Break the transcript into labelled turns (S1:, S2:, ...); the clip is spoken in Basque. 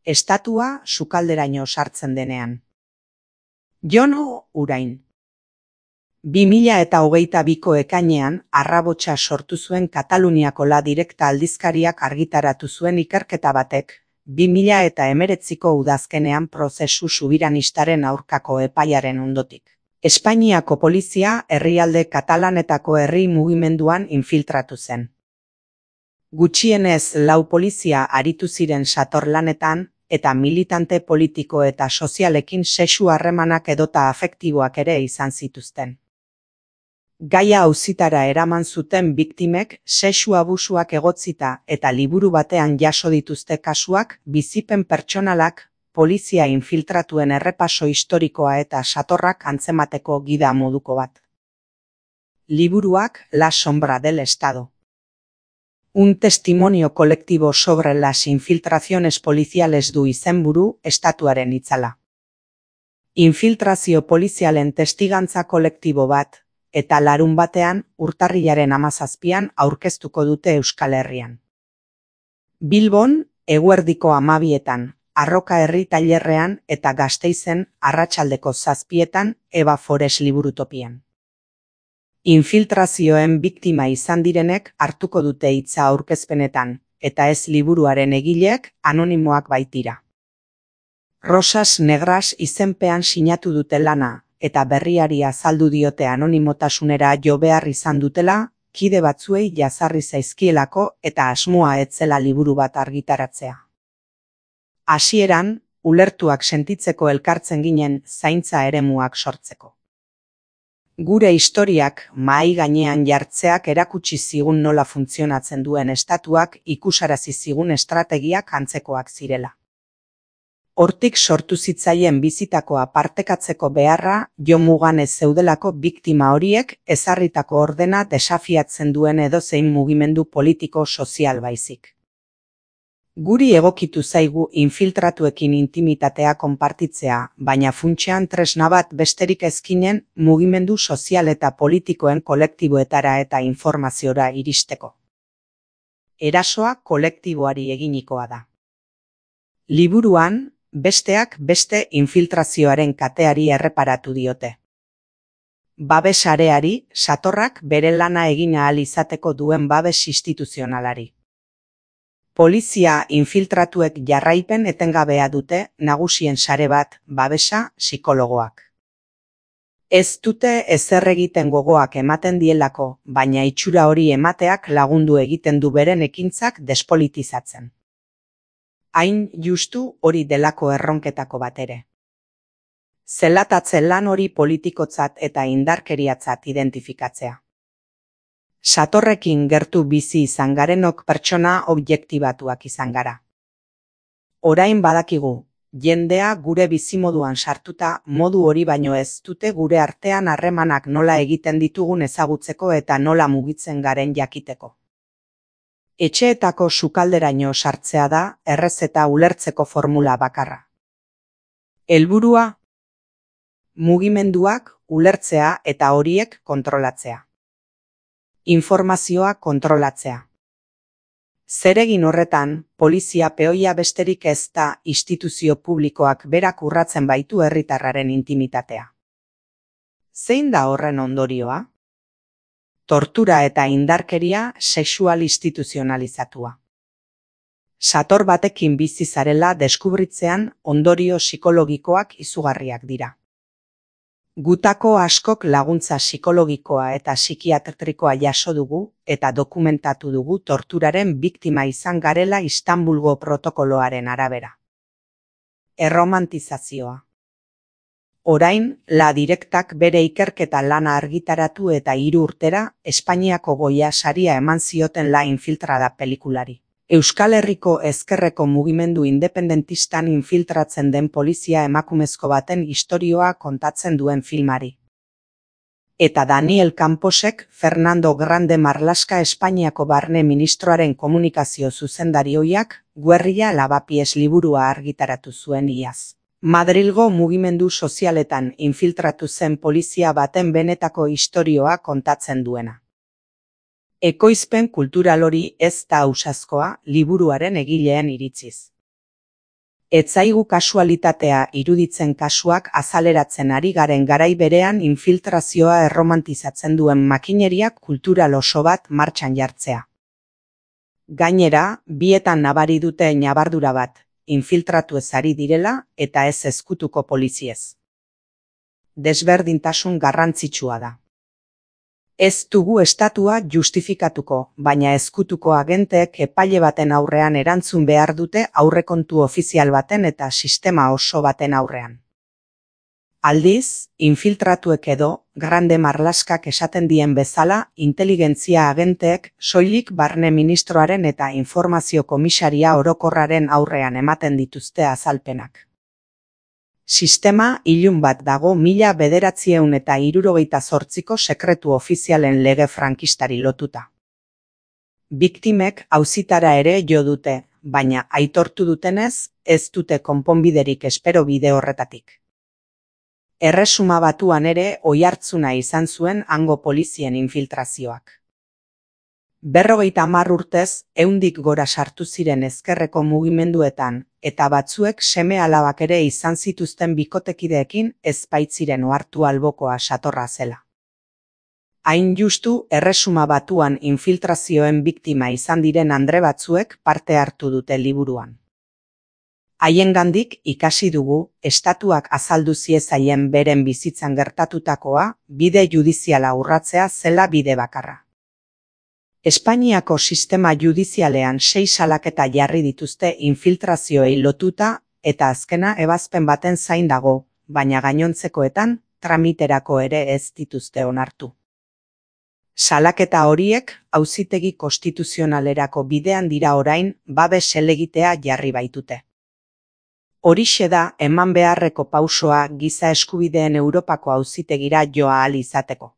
S1: estatua sukalderaino sartzen denean. Jon Urain. 2022ko ekainean arrabotsa sortu zuen Kataluniako La Directa aldizkariak argitaratu zuen ikerketa batek, 2019ko udazkenean prozesu subiranistaren aurkako epaiaren ondotik. Espainiako polizia herrialde katalanetako herri mugimenduan infiltratu zen. Gutxienez 4 polizia aritu ziren satorlanetan, eta militante politiko eta sozialekin sexu harremanak edota afektiboak ere izan zituzten. Gaia auzitara eraman zuten biktimek sexu abusuak egotzita eta liburu batean jaso dituzte kasuak, bizipen pertsonalak, polizia infiltratuen errepaso historikoa eta satorrak antzemateko gida moduko bat. Liburuak La sombra del Estado. Un testimonio colectivo sobre las infiltraciones policiales du izenburu estatuaren itzala. Infiltrazio polizialen testigantza kolektibo bat, eta larunbatean urtarrilaren 17an aurkeztuko dute Euskal Herrian. Bilbon, eguerdiko 12etan, Arroka herri tailerrean eta Gasteizen arratsaldeko 7etan Eba Forest liburutopian. Infiltrazioen biktima izan direnek hartuko dute hitza aurkezpenetan, eta ez liburuaren egileek anonimoak baitira. Rosas Negras izenpean sinatu dute lana, eta berriari azaldu diote anonimotasunera jo behar izan dutela, kide batzuei jazarri zaizkielako eta asmoa etzela liburu bat argitaratzea. Hasieran, ulertuak sentitzeko elkartzen ginen zaintza eremuak sortzeko. Gure historiak mahai gainean jartzeak erakutsi zigun nola funtzionatzen duen estatuak ikusarazi zigun estrategiak antzekoak zirela. Hortik sortu zitzaien bizitakoa partekatzeko beharra jomugan ez zeudelako biktima horiek ezarritako ordena desafiatzen duen edozein mugimendu politiko-sozial baizik. Guri egokitu zaigu infiltratuekin intimitatea konpartitzea, baina funtsean tresna bat besterik ezkinen mugimendu sozial eta politikoen kolektiboetara eta informaziora iristeko. Erasoa kolektiboari eginikoa da. Liburuan, besteak beste infiltrazioaren kateari erreparatu diote. Babesareari, satorrak bere lana egin ahal izateko duen babes instituzionalari. Polizia infiltratuek jarraipen etengabea dute nagusien sare bat, babesa, psikologoak. Ez dute ezer egiten gogoak ematen dielako, baina itxura hori emateak lagundu egiten du beren ekintzak despolitizatzen. Hain justu hori delako erronketako bat ere. Zelatatze lan hori politikotzat eta indarkeriatzat identifikatzea. Satorrekin gertu bizi izan garenok pertsona objektibatuak izan gara. Orain badakigu, jendea gure bizimoduan sartuta modu hori baino ez dute gure artean harremanak nola egiten ditugun ezagutzeko eta nola mugitzen garen jakiteko. Etxeetako sukalderaino sartzea da errezeta ulertzeko formula bakarra. Helburua, mugimenduak ulertzea eta horiek kontrolatzea. Informazioa kontrolatzea. Zeregin horretan, polizia peoia besterik ez da instituzio publikoak berak urratzen baitu herritarraren intimitatea. Zein da horren ondorioa? Tortura eta indarkeria sexual instituzionalizatua. Sator batekin bizi zarela deskubritzean ondorio psikologikoak izugarriak dira. Gutako askok laguntza psikologikoa eta psikiatrikoa jaso dugu eta dokumentatu dugu torturaren biktima izan garela Istanbulgo protokoloaren arabera. Erromantizazioa. Orain, La Directak bere ikerketa lana argitaratu eta 3 urtera Espainiako Goya saria eman zioten La Infiltrada pelikulari. Euskal Herriko ezkerreko mugimendu independentistan infiltratzen den polizia emakumezko baten istorioa kontatzen duen filmari. Eta Daniel Camposek Fernando Grande Marlaska Espainiako barne ministroaren komunikazio zuzendarioiak Guerrilla Lavapiés liburua argitaratu zuen iaz. Madrilgo mugimendu sozialetan infiltratu zen polizia baten benetako istorioa kontatzen duena. Ekoizpen kultural hori ez da ausazkoa liburuaren egileen iritziz. Ez zaigu kasualitatea iruditzen kasuak azaleratzen ari garen garai berean infiltrazioa erromantizatzen duen makineriak kultural oso bat martxan jartzea. Gainera, bietan nabari dute ñabardura bat, infiltratu ez ari direla eta ez ezkutuko poliziez. Desberdintasun garrantzitsua da. Ez dugu estatua justifikatuko, baina ezkutuko agenteek epaile baten aurrean erantzun behar dute aurrekontu ofizial baten eta sistema oso baten aurrean. Aldiz, infiltratuek edo, grande marlaskak esaten dien bezala, inteligentzia agenteek soilik barne ministroaren eta informazio komisaria orokorraren aurrean ematen dituzte azalpenak. Sistema ilun bat dago 1978ko sekretu ofizialen lege frankistari lotuta. Biktimek auzitara ere jo dute, baina aitortu dutenez, ez dute konponbiderik espero bide horretatik. Erresuma Batuan ere oihartzuna izan zuen hango polizien infiltrazioak. 50 urtez, 100 gora sartu ziren ezkerreko mugimenduetan, eta batzuek seme-alabak ere izan zituzten bikotekideekin ez baitziren ohartu albokoa satorra zela. Hain justu, Erresuma Batuan infiltrazioen biktima izan diren andre batzuek parte hartu dute liburuan. Haiengandik ikasi dugu, estatuak azaldu ziezaien beren bizitzan gertatutakoa, bide judiziala urratzea zela bide bakarra. Espainiako sistema judizialean 6 salaketa jarri dituzte infiltrazioei lotuta eta azkena ebazpen baten zain dago, baina gainontzekoetan tramiterako ere ez dituzte onartu. Salaketa horiek auzitegi konstituzionalerako bidean dira orain babes helegitea jarri baitute. Horixe da eman beharreko pausoa giza eskubideen Europako auzitegira joa ahal izateko.